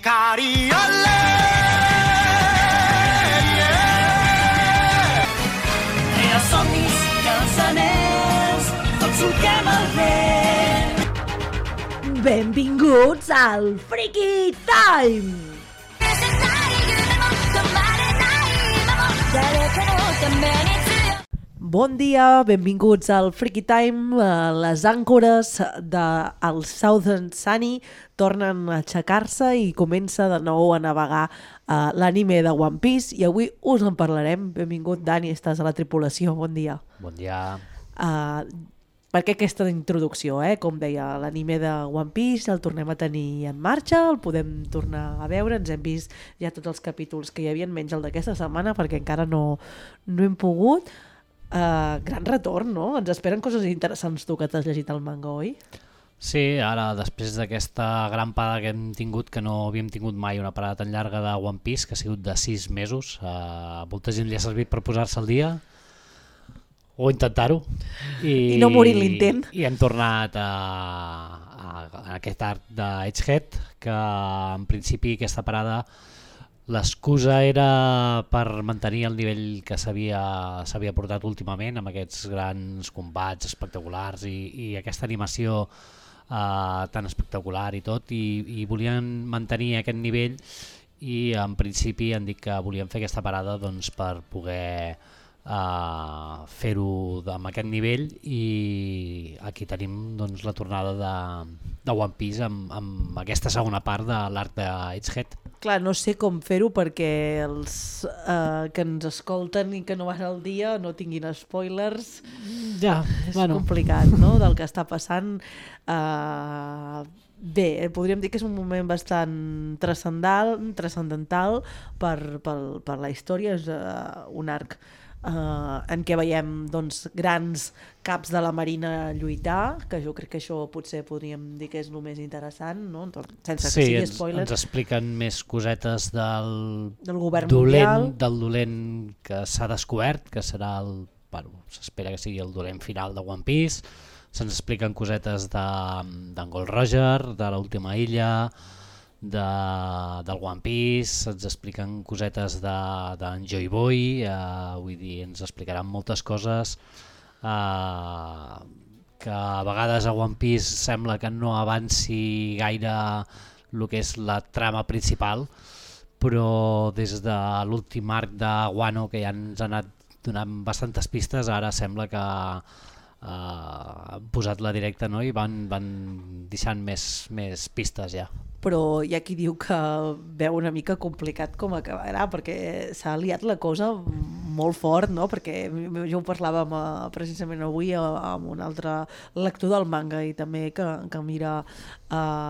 Cariole, Tria somnis, cançoners, tots solquem el vent. Benvinguts al Freaky Time! Bon dia, benvinguts al Freaky Time. Les àncores del Southern Sunny tornen a aixecar-se i comença de nou a navegar l'anime de One Piece i avui us en parlarem. Benvingut, Dani, estàs a la tripulació, bon dia. Bon dia. Per què aquesta introducció? Com deia, l'anime de One Piece el tornem a tenir en marxa, el podem tornar a veure, ens hem vist ja tots els capítols que hi havia, menys el d'aquesta setmana perquè encara no hem pogut. Gran retorn, no? Ens esperen coses interessants, tu, que t'has llegit el manga, oi? Sí, ara, després d'aquesta gran parada que hem tingut, que no havíem tingut mai una parada tan llarga de One Piece, que ha sigut de 6 mesos, molta gent li ha servit per posar-se al dia, o intentar-ho. I no morir l'intent. I hem tornat a aquest arc d'Edgehead, que en principi aquesta parada l'excusa era per mantenir el nivell que s'havia portat últimament amb aquests grans combats espectaculars i aquesta animació tan espectacular i tot, i volien mantenir aquest nivell i en principi han dit que volien fer aquesta parada doncs, per poder fer-ho amb aquest nivell, i aquí tenim doncs, la tornada de One Piece amb aquesta segona part de l'arc d'Edgehead. Clar, no sé com fer-ho perquè els que ens escolten i que no van al dia no tinguin spoilers. Ja, és complicat, no?, del que està passant. Bé, podríem dir que és un moment bastant transcendental per la història. És un arc en què veiem doncs, grans caps de la Marina lluitar, que jo crec que això potser podríem dir que és el més interessant, no? Sense que sigui spoilers. Ens expliquen més cosetes del govern mundial, del dolent que s'ha descobert, que serà s'espera que sigui el dolent final de One Piece. Se'ns expliquen cosetes d'en Gold Roger, de l'última illa, del One Piece, ens expliquen cosetes d'en Joy Boy, vull dir, ens explicaran moltes coses que a vegades a One Piece sembla que no avanci gaire el que és la trama principal, però des de l'últim arc de Wano, que ja ens ha anat donant bastantes pistes, ara sembla que han posat la directa, no? I van deixant més pistes ja. Però hi ha qui diu que veu una mica complicat com acabarà, perquè s'ha liat la cosa molt fort, no? Perquè jo ho parlàvem precisament avui amb un altre lector del manga i també que mira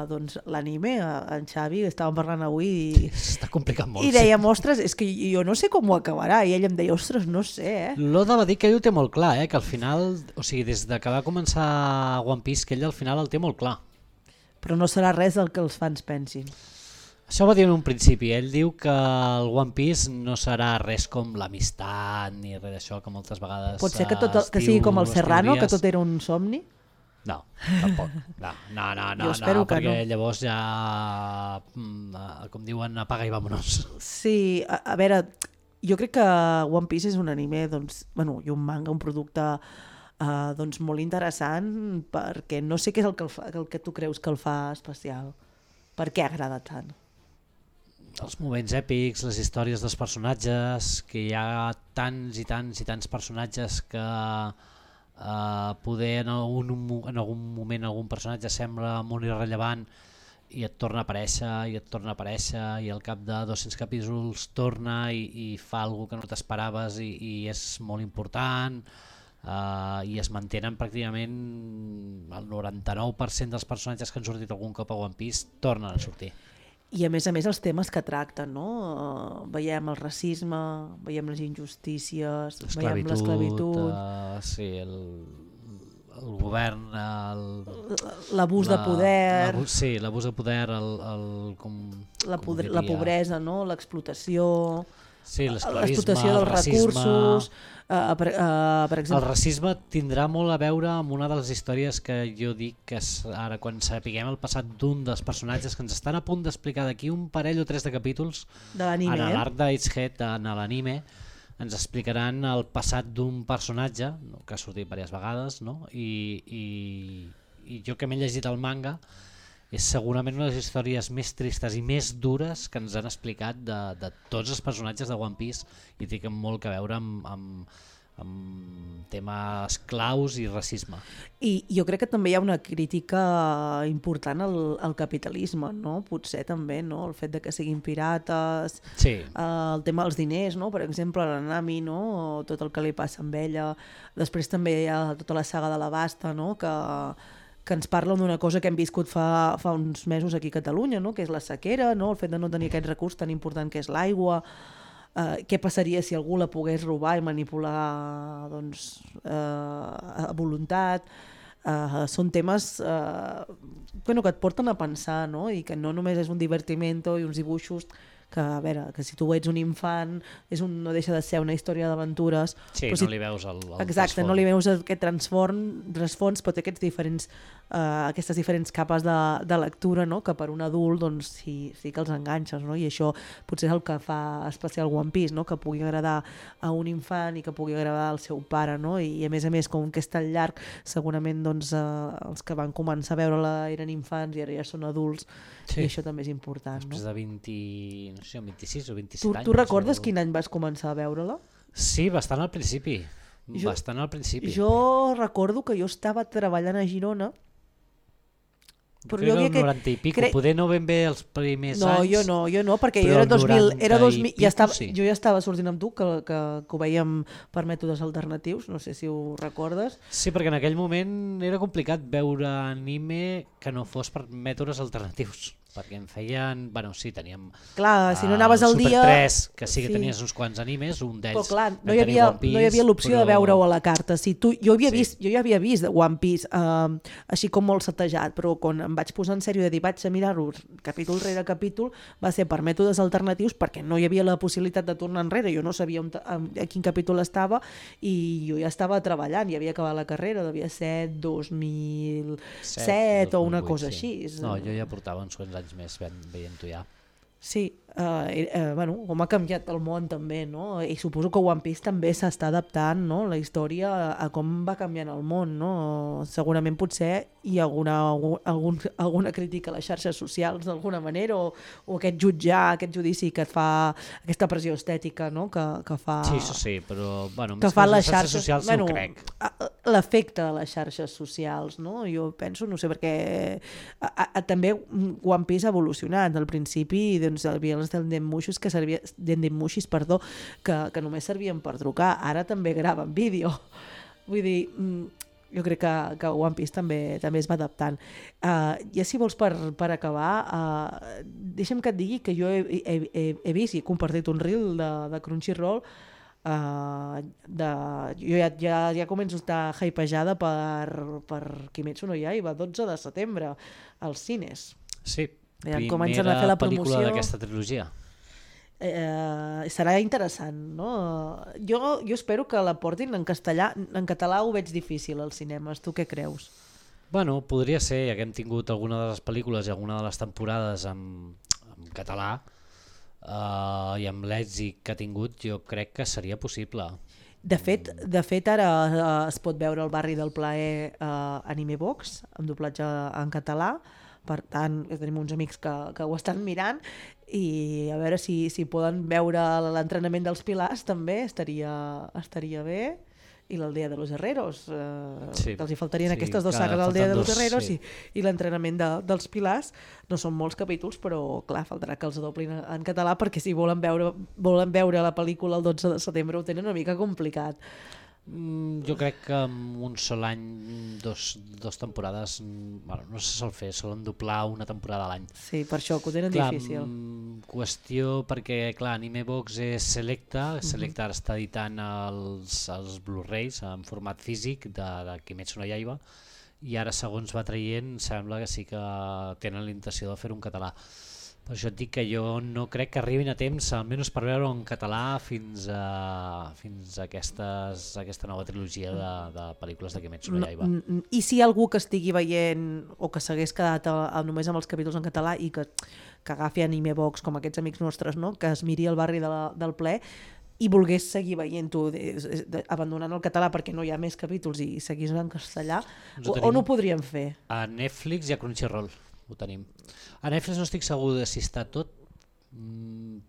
doncs, l'anime, en Xavi, estàvem parlant avui està complicat molt. I dèiem, ostres, és que jo no sé com ho acabarà, i ell em deia, ostres, no sé, L'Oda va dir que ell ho té molt clar, que al final, o sigui, des de que va començar One Piece, que ell al final el té molt clar. Però no serà res del que els fans pensin. Això ho va dir en un principi. Ell diu que el One Piece no serà res com l'amistat ni res d'això que moltes vegades pot ser que sigui com el Serrano, que tot era un somni? No, tampoc. No, perquè llavors ja, com diuen, apaga i vámonos. Sí, a veure, jo crec que One Piece és un anime, doncs, i un manga, un producte doncs molt interessant, perquè no sé què és el que tu creus que el fa especial. Per què agrada tant? Els moments èpics, les històries dels personatges, que hi ha tants i tants personatges que poder en algun moment algun personatge sembla molt irrellevant i et torna a aparèixer i al cap de 200 capítols torna i fa alguna que no t'esperaves i és molt important. I es mantenen pràcticament el 99% dels personatges que han sortit algun cop a One Piece tornen a sortir. I a més els temes que tracten, no? Veiem el racisme, veiem les injustícies, veiem l'esclavitud, sí, el govern, l'abús de poder, sí, l'abús de poder, la pobresa, no? L'explotació. Sí, l'esclavisme, l'explotació dels el racisme... recursos, per El exemple... racisme tindrà molt a veure amb una de les històries que jo dic que ara quan sapiguem el passat d'un dels personatges que ens estan a punt d'explicar d'aquí un parell o 3 de capítols de l'anime, en l'arc d'Agehead, en l'anime, ens explicaran el passat d'un personatge que ha sortit diverses vegades, no? I jo que m'he llegit el manga és segurament una de les històries més tristes i més dures que ens han explicat de tots els personatges de One Piece i té molt a veure amb temes claus i racisme. I jo crec que també hi ha una crítica important al capitalisme, no? Potser també, no? El fet de que siguin pirates, sí. El tema dels diners, no? Per exemple, la Nami, no? O tot el que li passa amb ella. Després també hi ha tota la saga de la Basta, no? Que ens parlen d'una cosa que hem viscut fa uns mesos aquí a Catalunya, no? Que és la sequera, no? El fet de no tenir aquest recurs tan important que és l'aigua. Què passaria si algú la pogués robar i manipular doncs, a voluntat? Són temes que et porten a pensar, no? I que no només és un divertimento i uns dibuixos que, a veure, que si tu ets un infant no deixa de ser una història d'aventures. Sí, no li veus el exacte, trasfons. no li veus aquest trasfons, però té aquestes diferents capes de lectura, no? Que per un adult doncs, sí que els enganxes, no? I això potser és el que fa especial One Piece, no? Que pugui agradar a un infant i que pugui agradar al seu pare, no? I a més, com que és tan llarg, segurament doncs, els que van començar a veure-la eren infants i ara ja són adults, sí. I això també és important. Després de 26 o 27 anys. Tu recordes quin any vas començar a veure-la? Sí, bastant al principi. Jo recordo que jo estava treballant a Girona, però jo havia 90 i pico, poder no ben bé els primers anys. Jo no, perquè jo era 2000, jo ja estava sortint amb tu, que ho veiem per mètodes alternatius, no sé si ho recordes. Sí, perquè en aquell moment era complicat veure anime que no fos per mètodes alternatius, perquè em feien... Bueno, sí, teníem... Clar, si no anaves al dia... Super 3, que sí que tenies uns quants animes, un d'ells... Però clar, no hi havia l'opció de veure-ho a la carta. Jo ja havia vist One Piece, així com molt setejat, però quan em vaig posar en sèrio de dir vaig a mirar-ho capítol rere capítol, va ser per mètodes alternatius, perquè no hi havia la possibilitat de tornar enrere, jo no sabia a quin capítol estava, i jo ja estava treballant, ja havia acabat la carrera, devia ser 2007 o una cosa així. No, jo ja portava uns quants anys més veient-ho ja. Sí, com ha canviat el món també, no? I suposo que One Piece també s'està adaptant, no? La història a com va canviant el món, no? Segurament potser hi ha alguna crítica a les xarxes socials d'alguna manera, o aquest judici que et fa aquesta pressió estètica, no? Que fa... Sí, però bueno, que fa les xarxes socials no ho crec. L'efecte de les xarxes socials, no? Jo penso, no sé, perquè també One Piece ha evolucionat. Al principi doncs, hi havia els dendemushis que només servien per trucar, ara també graven vídeo. Vull dir, jo crec que One Piece també es va adaptant. Ja si vols per acabar, deixa'm que et digui que jo he vist i he compartit un reel de Crunchyroll. Jo ja començo a estar hypejada per Kimetsu no Yaiba, 12 de setembre als cines. Sí, primera pel·lícula d'aquesta trilogia. Serà interessant, no? Jo espero que la portin en castellà. En català ho veig difícil als cinemes. Tu què creus? Bueno, podria ser, ja que hem tingut alguna de les pel·lícules i alguna de les temporades en català, i amb l'èxit que ha tingut, jo crec que seria possible. De fet ara es pot veure el Barri del Plaer Anime Box, amb doblatge en català. Per tant, tenim uns amics que ho estan mirant, i a veure si poden veure l'entrenament dels pilars també estaria bé, i l'Aldea de los Herreros, que els hi faltarien aquestes dues sagues, l'Aldea de los Herreros i l'entrenament dels pilars. No són molts capítols, però clar, faltarà que els doblin en català, perquè si volen veure la pel·lícula el 12 de setembre ho tenen una mica complicat. Jo crec que en un sol any, dos temporades, no se sol fer, solen doblar una temporada a l'any. Sí, per això que ho tenen difícil. Qüestió perquè, clar, Anime Box és Selecta ara està editant els Blu-rays en format físic de Kimetsu no Yaiba, i ara segons va traient sembla que sí que tenen la intenció de fer un català. Per això et dic que jo no crec que arribin a temps, almenys per veure en català fins a aquesta nova trilogia de pel·lícules de Kimetsu no Yaiba. I si hi ha algú que estigui veient o que s'hagués quedat només amb els capítols en català i que agafi Anime Box com aquests amics nostres, no? Que es miri el barri del ple i volgués seguir veient-ho abandonant el català perquè no hi ha més capítols i seguís en castellà, on ho podríem fer? A Netflix i a Crunchyroll ho tenim. A Netflix no estic segur de si està tot,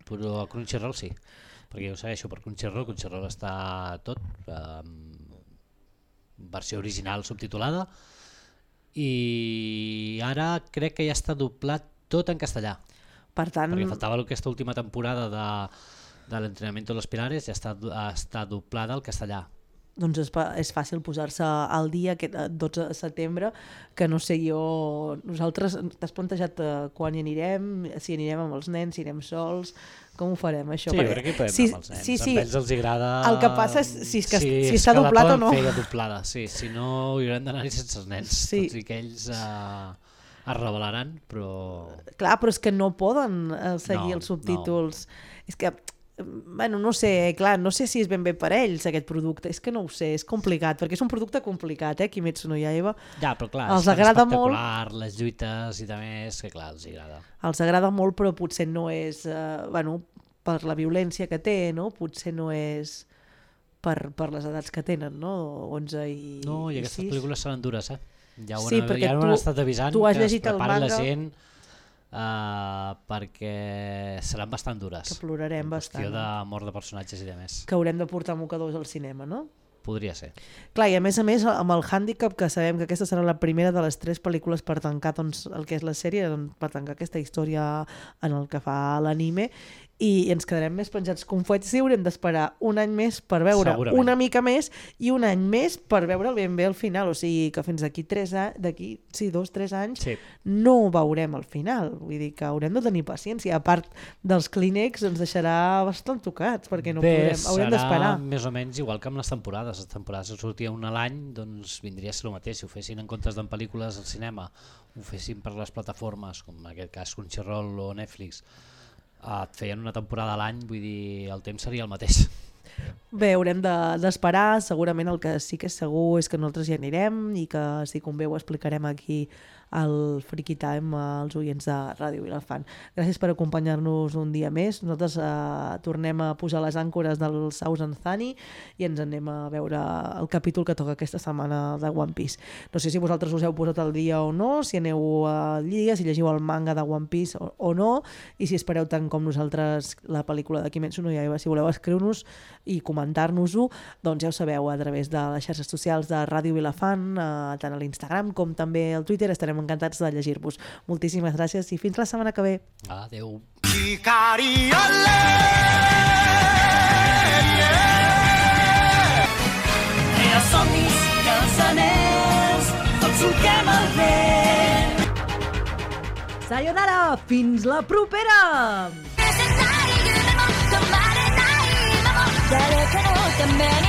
però a Crunchyroll sí, perquè jo ho segueixo per Crunchyroll està tot, versió original subtitulada, i ara crec que ja està doblat tot en castellà. Per tant, perquè faltava aquesta última temporada de l'entrenamiento de los pilares, ja està doblada al castellà. Doncs és fàcil posar-se al dia aquest 12 de setembre, que no sé jo, nosaltres t'has plantejat quan hi anirem, si anirem amb els nens, si anirem sols, com ho farem això? Sí, perquè hi podem anar amb els nens, amb ells els agrada... El que passa és si està doblat o no. Fer doblada, sí, si no hi haurem d'anar-hi sense els nens, tot i que ells es rebel·laran, però... Clar, però és que no poden seguir els subtítols. És que... Bueno, no sé, clar, no sé si és ben bé per ells aquest producte, és que no ho sé, és complicat, perquè és un producte complicat, Kimetsu no Yaiba. Ja, però clar, els és agrada espectacular, molt, les lluites i també és que clar, els agrada. Els agrada molt, però potser no és, bueno, per la violència que té, no? Potser no és per les edats que tenen, no? 11 i 6. No, i aquestes pel·lícules seran dures, Ja ho Sí, han, perquè ja ho han estat avisant tu has que es llegit el prepari la manga. gent perquè seran bastant dures. Que plorarem bastant. En qüestió de mort de personatges i de més. Que haurem de portar mocadors al cinema, no? Podria ser. Clar, i a més, amb el hàndicap que sabem que aquesta serà la primera de les 3 pel·lícules per tancar doncs, el que és la sèrie, doncs, per tancar aquesta història en el que fa l'anime, i ens quedarem més penjats com fuets i haurem d'esperar un any més per veure una mica més i un any més per veure ben bé el final, o sigui que fins d'aquí 2-3 anys no veurem el final, vull dir que haurem de tenir paciència, a part dels Kleenex ens deixarà bastant tocats perquè no podrem, haurem d'esperar. Serà més o menys igual que amb les temporades si sortia una a l'any, doncs vindria a ser el mateix, si ho fessin en comptes d'en pel·lícules al cinema, ho fessin per les plataformes com en aquest cas Crunchyroll o Netflix, et feien una temporada a l'any, vull dir, el temps seria el mateix. Bé, haurem d'esperar, segurament el que sí que és segur és que nosaltres hi anirem i que si convé ho explicarem aquí al Freaky Time als oients de Ràdio Vilafant. Gràcies per acompanyar-nos un dia més. Nosaltres tornem a posar les àncores del Thousand Sunny i ens anem a veure el capítol que toca aquesta setmana de One Piece. No sé si vosaltres us heu posat al dia o no, si aneu al dia, si llegiu el manga de One Piece o no, i si espereu tant com nosaltres la pel·lícula de Kimetsu no Yaiba. Si voleu escriure-nos i comentar-nos-ho, doncs ja ho sabeu, a través de les xarxes socials de Ràdio Vilafant, tant a l'Instagram com també al Twitter. Estarem encantats de llegir-vos. Moltíssimes gràcies i fins la setmana que ve. Adéu. Crea somnis i els anells, tots solquem el vent. Sayonara! Fins la propera! 誰かのために